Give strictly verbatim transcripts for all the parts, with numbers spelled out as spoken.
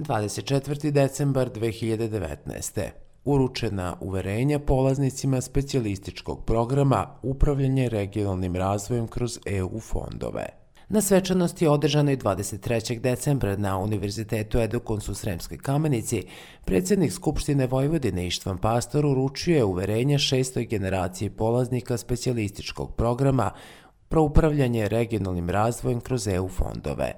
dvadeset četvrti decembar dve hiljade devetnaeste. Uručena uverenja polaznicima specijalističkog programa Upravljanje regionalnim razvojem kroz E U fondove. Na svečanosti održanoj dvadeset trećeg decembra na Univerzitetu Edukons u Sremskoj Kamenici, predsjednik Skupštine Vojvodine Ištvan Pastor uručio je uverenja šestoj generaciji polaznika specijalističkog programa pro upravljanje regionalnim razvojem kroz E U fondove.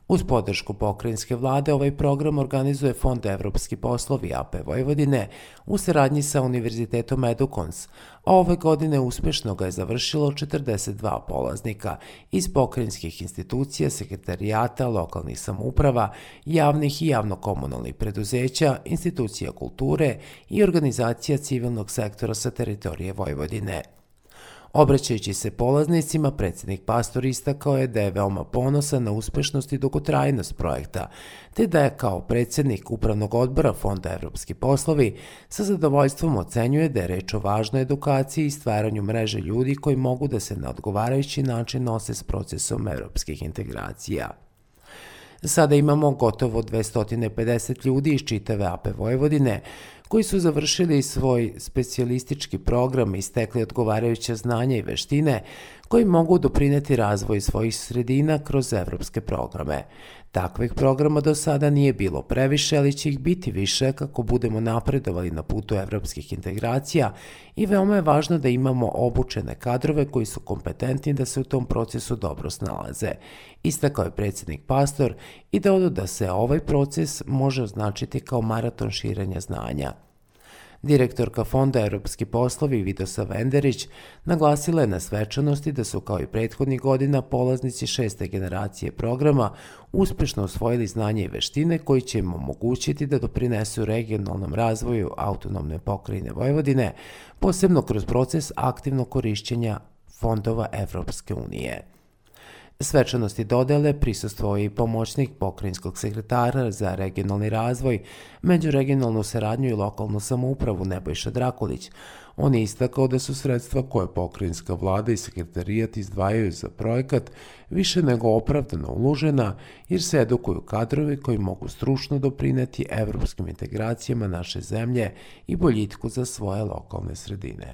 Uz podršku pokrajinske vlade ovaj program organizuje Fond Evropski poslovi A P Vojvodine u saradnji sa Univerzitetom Edukons, a ove godine uspešno ga je završilo četrdeset dva polaznika iz pokrajinskih institucija, sekretarijata, lokalnih samouprava, javnih i javno-komunalnih preduzeća, institucija kulture i organizacija civilnog sektora sa teritorije Vojvodine. Obraćajući se polaznicima, predsjednik Pastor istakao je da je veoma ponosan na uspešnost i dugotrajnost projekta, te da je kao predsjednik Upravnog odbora Fonda Evropski poslovi sa zadovoljstvom ocenjuje da je reč o važnoj edukaciji i stvaranju mreže ljudi koji mogu da se na odgovarajući način nose s procesom evropskih integracija. Sada imamo gotovo dvesta pedeset ljudi iz čitave A P Vojvodine koji su završili svoj specijalistički program i stekli odgovarajuće znanja i veštine koji mogu doprineti razvoju svojih sredina kroz evropske programe. Takvih programa do sada nije bilo previše, ali će ih biti više kako budemo napredovali na putu evropskih integracija i veoma je važno da imamo obučene kadrove koji su kompetentni da se u tom procesu dobro snalaze. Istakao je predsjednik Pastor i dodao da se ovaj proces može označiti kao maraton širenja znanja. Direktorka Fonda Evropski poslovi Vidosa Venderić naglasila je na svečanosti da su kao i prethodnih godina polaznici šeste generacije programa uspešno osvojili znanje i veštine koji će im omogućiti da doprinesu regionalnom razvoju autonomne pokrajine Vojvodine, posebno kroz proces aktivnog korišćenja fondova Evropske unije. Svečanosti dodele prisustvovao je i pomoćnik pokrajinskog sekretara za regionalni razvoj, međuregionalnu saradnju i lokalnu samoupravu Nebojša Drakulić. On je istakao da su sredstva koje pokrajinska vlada i sekretarijat izdvajaju za projekat više nego opravdano uložena jer se edukuju kadrovi koji mogu stručno doprineti evropskim integracijama naše zemlje i boljitku za svoje lokalne sredine.